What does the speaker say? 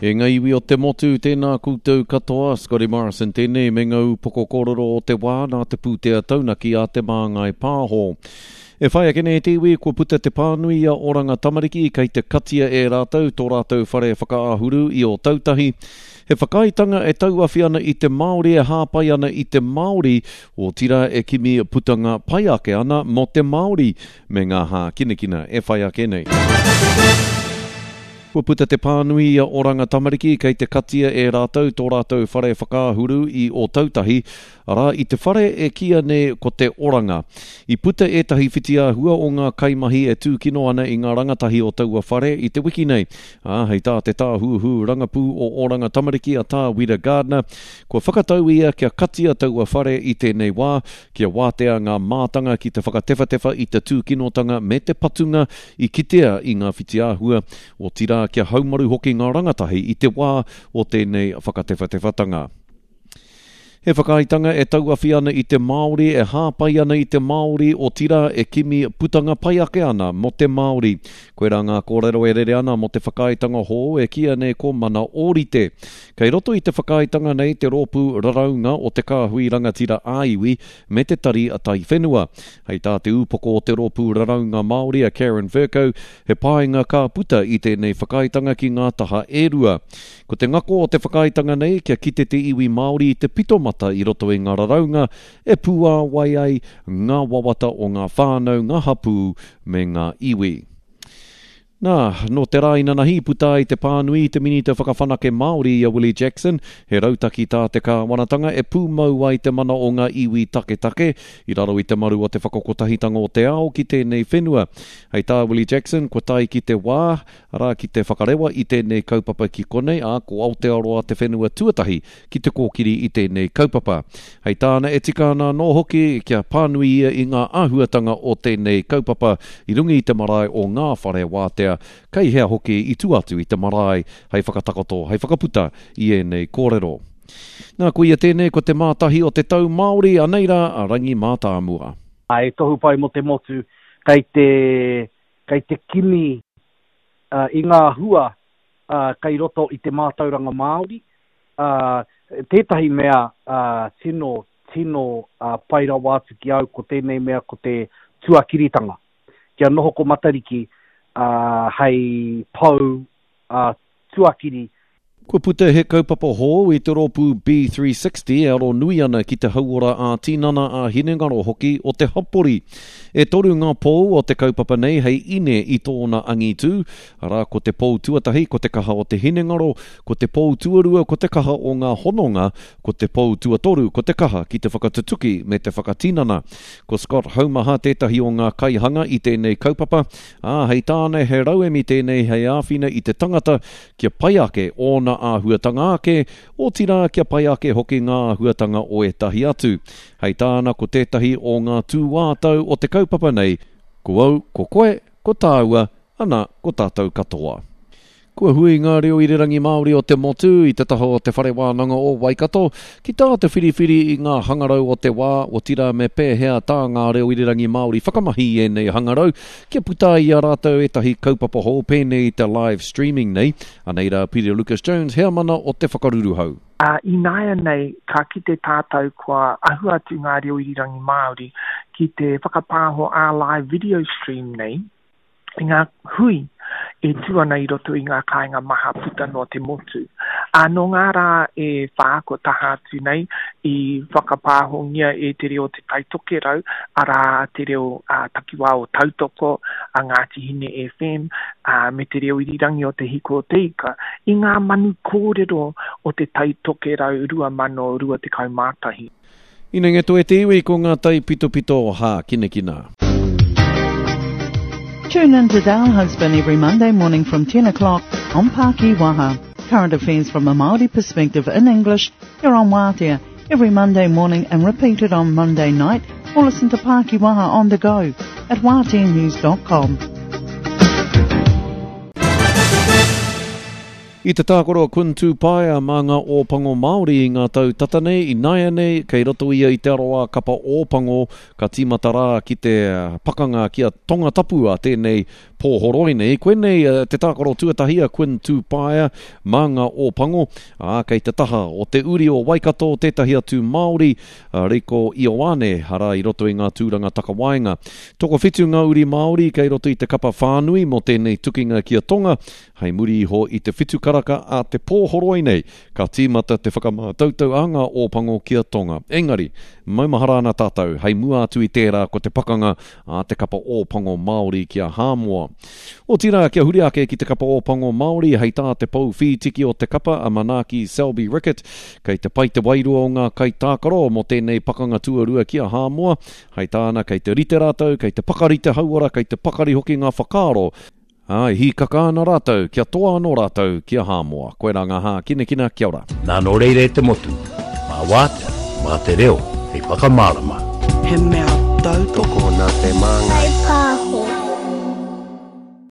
E ngā iwi o te motu, tēnā koutou katoa, Scotty Morrison tēnei me ngā upoko kōrero o te wā nā te pūtea taunaki a Te Māngai Pāho. E whai ake nei te iwi, kua puta te pānui i a Oranga Tamariki kei te katia e rātou tō rātou whare whakaahuru i Ōtautahi. He whakaaetanga e tauawhi ana i te Māori e hāpai ana i te Māori, otirā e kimi putanga pai ake ana mō te Māori me ngā hākinakina e whai ake nei. Kua puta te pānui i a Oranga Tamariki kei te katia e rātou tō rātou whare whakaahuru i Ōtautahi, arā, i te whare e kīia nei ko Te Oranga. I puta ētahi whitiāhua o ngā kaimahi e tūkino ana i ngā rangatahi o taua whare i te wiki nei, ā, hei tā te tāhuhu rangapū o Oranga Tamariki a Tā Wira Gardiner, kua whakatau ia kia katia taua whare i tēnei wā, kia wātea ngā mātanga ki te whakatewhatewha i te tūkinotanga me te patunga i kitea i ngā whitiāhua, otirā kia haumaru hoki ngā rangatahi i te wā o tēnei whakatewhatewhatanga. He whakaaetanga e tauawhi ana i te Māori, e hāpai ana i te Māori, otirā e kimi putanga pai ake ana mō te Māori. Koirā ngā kōrero e rere ana mō te whakaaetanga hou e kīia nei ko Mana Ōrite. Kei roto i te whakaaetanga nei te rōpū raraunga o te Kāhui Rangatira ā-Iwi me te Tari Taiwhenua. Hei tā te ūpoko o te Rōpū Raraunga Māori a Karen Vercoe, he painga ka puta i tēnei whakaaetanga ki ngā taha e rua. Ko te ngako o te whakaaetanga nei kia kite te iwi Māori i te pitomata i roto i ngā raraunga e pūāwai ai ngā wawata o ngā whānau, ngā hapū me ngā iwi. Nā, nō te rā inanahi i puta ai te pānui i te Minita Whakawhanake Māori i a Willie Jackson, he rautaki tā te kāwanatanga e pūmau ai te mana o ngā iwi taketake i raro i te maru o te whakakotahitanga o te ao ki tēnei whenua. Hei tā Willie Jackson, kua tae ki te wā, arā, ki te whakarewa i tēnei kaupapa ki konei, ā, ko Aotearoa te whenua tuatahi ki te kōkiri i tēnei kaupapa. Hei tāna e tika ana anō hoki kia pānui ia i ngā āhuatanga o tēnei kaupapa i runga i te marae o ngā whare wātea, kei hea hoki i tua atu i te marae hei whakatakoto, hei whakaputa i ēnei kōrero. Nā, koia tēnei ko te mātahi o te tau Māori, anei rā a Rangi Mātāmua. He tohu pai mō te motu kei te, kei te kimi i ngā hua kei roto i te mātauranga Māori, ā, tētahi mea tino, tino pai rawa atu ki au ko tēnei mea ko te tuakiritanga. Kia noho ko Matariki hei pou tuakiri. Kua puta he kaupapa hou i te rōpū B360 e aro nui ana ki te hauora ā-tinana, ā-hinengaro hoki o te hapori. E toru ngā pou o te kaupapa nei hei ine i tōna angitū, Arā, ko te pou tuatahi ko te kaha o te hinengaro, ko te pou tuarua ko te kaha o ngā hononga, ko te pou tuatoru ko te kaha ki te whakatutuki me te whakatinana. Ko Scott Haumaha tētahi o ngā kaihanga i tēnei kaupapa, ā, hei tāna he rauemi tēnei hei āwhina i te tangata kia pai ake ōna āhuatanga ake, otirā kia pai ake hoki ngā āhuatanga o ētahi atu. Hei tāna ko tētahi o ngā tūātau o te kaupapa nei, ko au, ko koe, ko tāua, Ana, ko tātou katoa. Kua hui ngā reo irirangi Māori o te motu i te taha o Te Whare Wānanga o Waikato ki tā te whiriwhiri i ngā hangarau o te wā, otirā me pēhea tā ngā reo irirangi Māori whakamahi i ēnei hangarau kia puta ai i a rātou ētahi kaupapa hou pēnei i te live streaming nei. Anei rā Peter Lucas Jones, heamana o Te Whakaruruhau. Ā, ināianei ka kite tātou kua ahu atu ngā reo irirangi Māori ki te whakapāho ā-live video stream nei, i ngā hui e tū ana i roto i ngā kāinga maha puta noa te motu. Ā, nō ngā rā e whā kua taha atu nei i whakapāhongia e te reo o Te Tai Tokerau, arā, te reo ā-takiwā o Tautoko, a Ngāti Hine FM, ā, me te reo irirangi o Te Hiko o Te Ika, i ngā manu kōrero o Te Tai Tokerau 2021. Inengeto e te iwi ko ngā taipitopito hākinakina. Tune in to Dale Husband every Monday morning from 10 o'clock on Paki Waha. Current affairs from a Māori perspective in English here on Wātea every Monday morning and repeated on Monday night or listen to Paki Waha on the go at wāteanews.com. I te tākaro a Kun Tūpaea mā ngā Ōpango Māori i ngā tau tata nei, ināianei, kei roto ia i te aroā kapa Ōpango, ka tīmata rā ki te pakanga ki a Tongatapu a tēnei pōhoroi nei. Koinei te tākaro tuatahi a Quinn Tūpaea mā ngā Ōpango, ā, kei te taha o te uri o Waikato tētahi atu Māori, a Reiko Ioane, arā i roto i ngā tūranga takawaenga. Tokowhitu ngā uri Māori kei roto i te kapa whānui mō tēnei tukinga ki a Tonga, hei muri iho i te whitu karaka a te pōhoroi nei, Ka tīmata te whakamātautau a ngā Ōpango ki a Tonga. Engari, maumahara ana tātou, hei mua atu i tērā ko te pakanga a te kapa Ōpango Māori ki a Hāmoa. Otirā, kia huri ake ki te kapa Ōpango Māori, hei tā te pou whītiki o te kapa a Manaaki Selby Rickit, kei te pai te wairua o ngā kaitākaro mō tēnei pakanga tuarua ki a Hāmoa. Hei tāna, kei te rite rātou, kei te pakari te hauora, kei te pakari hoki ngā whakaaro, Ā, e hīkaka ana rātou, kia toa anō rātou ki a Hāmoa. Koirā ngā hākinakina, kia ora. Nā nō reira e te motu, mā Wātea, mā te reo hei whakamārama. He mea tautoko. Tokona te māngai.